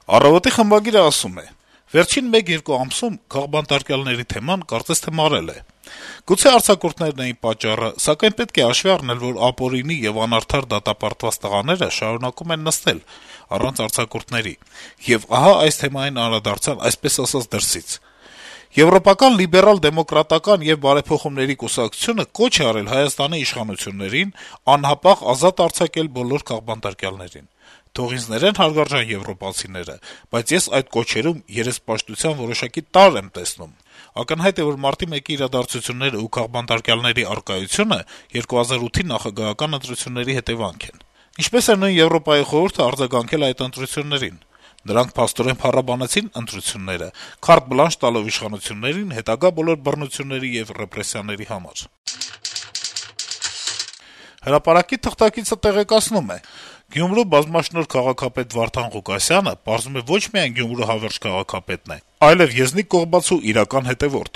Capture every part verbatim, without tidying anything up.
«Առավոտ»-ի խմբագիրը ասում է. - «Վերջին մեկ-երկու ամսում քաղբանտարկյալների թեման կարծես թե մարել է: Գուցե արձակուրդներն էին պատճառը, սակայն պետք է հաշվի առնել, որ ապօրինի եւ անարդար դատապարտված տղաները շարունակում են նստել առանց արձակուրդների: Եվ ահա այս թեմային անդրադարձան, այսպես ասած, դրսից: Եվրոպական լիբերալ-դեմոկրատական եւ բարեփոխումների կուսակցությունը կոչ է արել Հայաստանի իշխանություններին անհապաղ ազատ արձակել բոլոր քաղբանտարկյալներին: Թող ինձ ներեն հարգարժան եվրոպացիները, բայց ես այդ կոչերում երեսպաշտության որոշակի տարր եմ տեսնում: Ակնհայտ է, որ մարտի մեկի իրադարձություններն ու քաղբանտարկյալների առկայությունը երկու հազար ութի նախագահական ընտրությունների հետեւանք են: Ինչպես է նույն Եվրոպայի խորհուրդը արձագանքել այդ ընտրություններին: Նրանք փաստորեն փառաբանեցին ընտրությունները` քարտ բլանշ տալով իշխանություններին հետագա բոլոր բռնությունների եւ ռեպրեսիաների համար»: «Հրապարակ»-ի թղթակիցը տեղեկացնում է. - «Գյումրու բազմաշնորհ քաղաքապետ Վարդան Ղուկասյանը, պարզվում է, ոչ միայն Գյումրու հավերժ քաղաքապետն է, այլեւ Եզնիկ Կողբացու իրական հետեւորդ: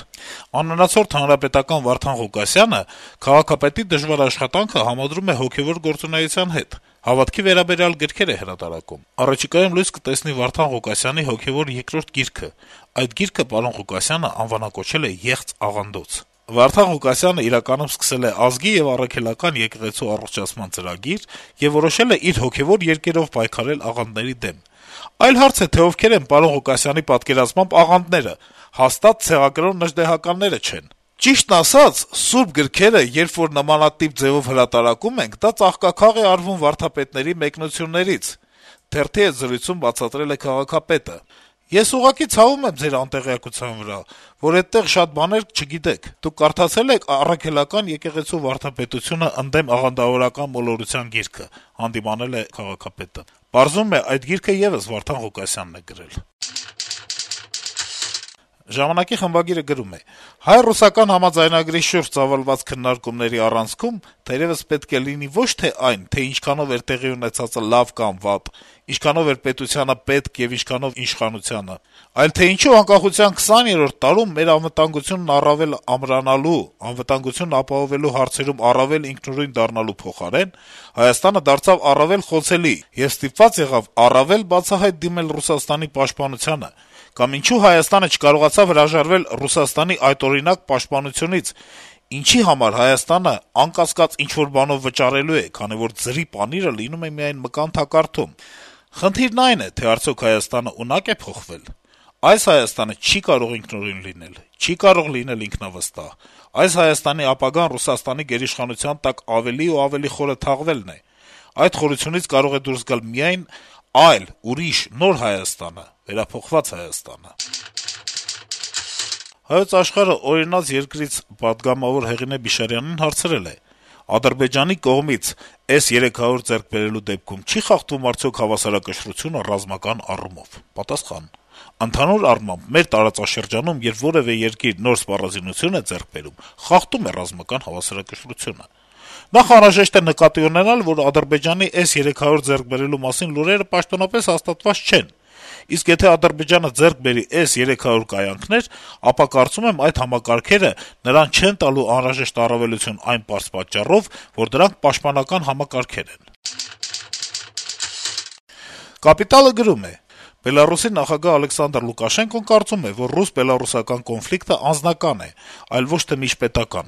Անվնացորդ հանրապետական Վարդան Ղուկասյանը քաղաքապետի դժվար աշխատանքը համադրում է հոգեւոր գործունեության հետ, հավատքի վերաբերյալ գրքեր է հրատարակում: Առաջիկայում լույս կտեսնի Վարդան Ղուկասյանի հոգեւոր երկրորդ գիրքը: Այդ գիրքը պարոն Ղուկասյանը անվանակոչել է «Եղծ աղանդոց»: Վարդան Ղուկասյանը իրականում սկսել է ազգի եւ առաքելական եկեղեցու առողջացման ծրագիր եւ որոշել է իր հոգեւոր երկերով պայքարել աղանդների դեմ: Այլ հարց է, թե ովքեր են պարոն Ղուկասյանի պատկերացմամբ աղանդները: Հաստատ ցեղակրոն նժդեհականները չեն: Ճիշտն ասած, սուրբ գրքերը, երբ որ նմանատիպ ձեւով հրատարակում ենք, դա ծաղկաքաղ է արվում վարդապետների մեկնություններից», - թերթի հետ զրույցում բացատրել է քաղաքապետը: «Ես ուղղակի ցավում եմ ձեր անտեղյակության վրա, որ էդտեղ շատ բաներ չգիտեք: Դուք կարդացե՞լ եք «Առաքելական եկեղեցու վարդապետությունը ընդդեմ աղանդավորական մոլորության» գիրքը», - հանդիմանել է քաղաքապետը: Պարզվում է, այդ գիրքը եւս Վարդան Ղուկասյանն է գրել»: «Ժամանակ»-ի խմբագիրը գրում է. - «Հայ-ռուսական համաձայնագրի շուրջ ծավալված քննարկումների առանցքում թերեւս պետք է լինի ոչ թե այն, թե ինչքանով էր տեղի ունեցածը լավ կամ վատ, ինչքանով էր պետությանը պետք եւ ինչքանով իշխանությանը, այլ թե ինչու անկախության քսաներորդ տարում մեր անվտանգությունն առավել ամրանալու, անվտանգությունն ապահովելու հարցերում առավել ինքնուրույն դառնալու փոխարեն Հայաստանը դարձավ առավել խոցելի եւ ստիպված եղավ առավել բացահայտ դիմել Ռուսաստանի պաշտպանությանը, կամ ինչու Հայաստանը չկարողացավ հրաժարվել Ռուսաստանի այդօրինակ պաշտպանությունից, ինչի համար Հայաստանը անկասկած ինչ-որ բանով վճարելու է, քանի որ ձրի պանիրը լինում է միայն մկան թակարդում: Խնդիրն այն է, թե արդյոք Հայաստանը ունակ է փոխվել: Այս Հայաստանը չի կարող ինքնուրույն լինել, չի կարող լինել ինքնավստահ: Այս Հայաստանի ապագան Ռուսաստանի գերիշխանության տակ ավելի ու ավելի խորը թաղվելն է: Այդ խորությունից կարող է դուրս գալ միայն այլ, ուրիշ, նոր Հայաստանը, վերափոխված Հայաստանը»: «Հայոց Աշխարհ»-ը «Օրինաց երկրից» պատգամավոր Հեղինե Բիշարյանին հարցրել է. - «Ադրբեջանի կողմից էս երեք հարյուր ձեռք բերելու դեպքում չի՞ խախտվում արդյոք հավասարակշռությունը ռազմական առումով»: Պատասխան. - «Ընդհանուր առմամբ, մեր տարածաշրջանում երբ որեւէ երկիր նոր սպառազինություն է ձեռք բերում, խախտում է ռազմական հավասարակշռությունը: Նախ անհրաժեշտ է նկատի ունենալ, որ Ադրբեջանի էս երեք հարյուր ձեռք բերելու մասին լուրերը պաշտոնապես հաստատված չեն: Իսկ եթե Ադրբեջանը ձեռք բերի էս երեք հարյուր կայանքներ, ապա կարծում եմ այդ համակարգերը նրան չեն տալու անհրաժեշտ առավելություն այն պարզ պատճառով, որ դրանք պաշտպանական համակարգեր են»: «Կապիտալ»-ը գրում է. - «Բելառուսի նախագահ Ալեքսանդր Լուկաշենկոն կարծում է, որ ռուս-բելառուսական կոնֆլիկտը անձնական է, այլ ոչ թե միջպետական: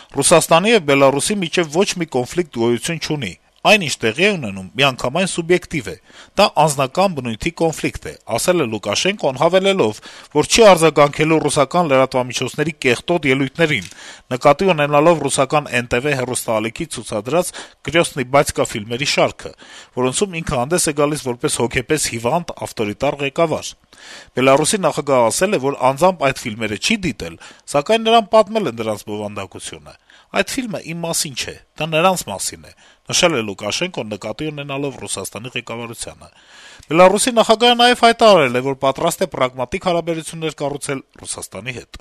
Ռուսաստանի եւ Բելառուսի միջեւ ոչ մի կոնֆլիկտ գոյություն չունի: Այն, ինչ տեղի է ունենում, միանգամայն սուբյեկտիվ է: Դա անձնական բնույթի կոնֆլիկտ է», - ասել է Լուկաշենկոն` հավելելով, որ չի արձագանքելու ռուսական լրատվամիջոցների կեղտոտ ելույթներին, նկատի ունենալով ռուսական Էն Տե Վե հեռուստաալիքի ցուցադրած «Կրեսնի բատյկա» ֆիլմերի շարքը, որոնցում ինքը հանդես է գալիս որպես հոգեպես հիվանդ, ավտորիտար ղեկավար: Բելառուսի նախագահն ասել է, որ անձամբ այդ ֆիլմերը չի դիտել, սակայն նրան պատմել են դրանց բովանդակությունը: «Այդ ֆիլմը իմ մասին չէ, դա նրանց մասին է», - նշել է Լուկաշենկոն` նկատի ունենալով Ռուսաստանի ղեկավարությանը: Բելառուսի նախագահը նաեւ հայտարարել է, որ պատրաստ է պրագմատիկ հարաբերություններ կառուցել Ռուսաստանի հետ: